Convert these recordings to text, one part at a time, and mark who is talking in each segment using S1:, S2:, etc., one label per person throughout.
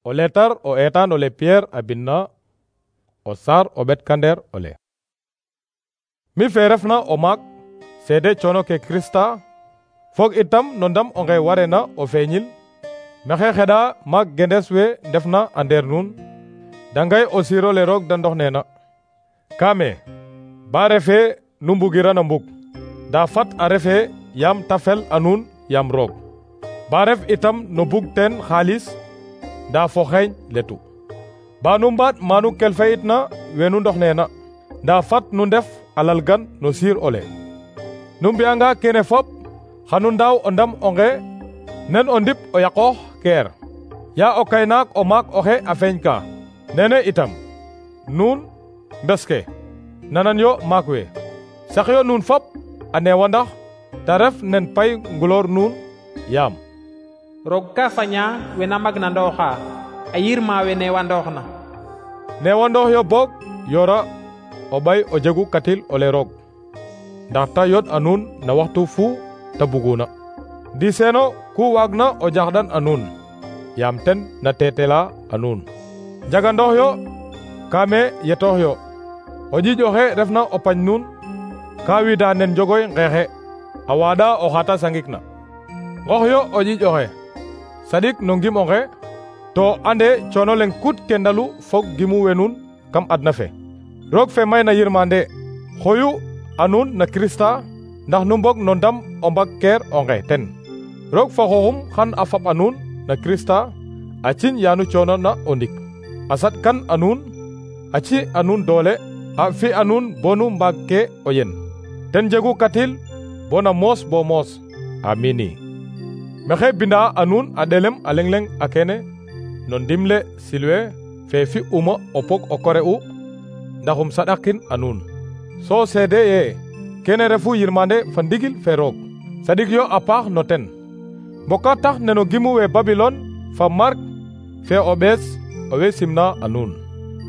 S1: O letar o etan ole Pierre a binna o sar o ɓetkander ole. Mi fe refna o maak seede coono ke Krista fog itam no ndam onge warena o feeñil maxey xeɗa maak gendes we ndefna a ndeer nuun dangay o siirole roog da ndox neena. Kaame ba refe nu mbugiran a mbug nda fat a refe yaam ta fel a nuun yaam roog. Ba ref itam no bug teen xaalis nda fo xeeñ letu. Ba nu mbaat manu kelfayitna wenu ndox neena nda fat nu ndef a lalgan no siir ole. Nu mbi'anga kene fop xanu ndaaw o ndam onge nen o ndip o yaqoox keer ya o kaynaak o maak oxe a feeñka. Nene itam nuun mbes ke nanan yo maak we saxyo nuun fop a neewandax ta ref nen pay nguloor nuun yaam
S2: roog ka faña wena magna ndooxa a yirma we neewandooxna.
S1: Neewandoox yo boog yora o ɓay o jegu katil ole roog ndax ta yod a nuun na waxtu fu ta buguna. Ndi seeno ku waagna o jaxɗan a nuun yaam ten na teetela a nuun. Njagandoox yo kaame yetoox yo o ƴiiƴ oxe refna o pañ nuun ka wida nen njogoy nqeexe a waaɗa o xata sangikna. Nqox yo o ƴiiƴ oxe saɗik no ngim onge to ande coono leŋ kut ke ndalu fog gimu we nuun kam adna fe. Roog fe mayna yirmande xoyu a nuun na Krista ndax nu mbog no ndam o mbag keer onge ten. Roog fa xooxum xan a faɓ a nuun na Krista a ciñ yaanu coono na o ndik a saɗkan a nuun a ci a nuun doole a fi a nuun bonu mbaag ke o yen ten jegu katil bona moos bo moos. Amini. Maxey binda a nuun a ɗelem a leŋ a kene no ndimle Silwe fe fi uma o pog o kore u ndaxum saɗakin a nuun. So seede ye kene refu yirmande fa ndigil fe roog saɗik yo a paax no ten. Mboka tax neno gimu we Babilon fa Mark fe o ɓees owe simna a nuun.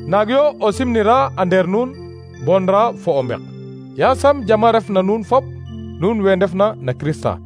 S1: Naag yo o simnira a ndeer nuun bonra fo o mbek. Yasam jama ref na nuun fop nuun we ndefna na Krista.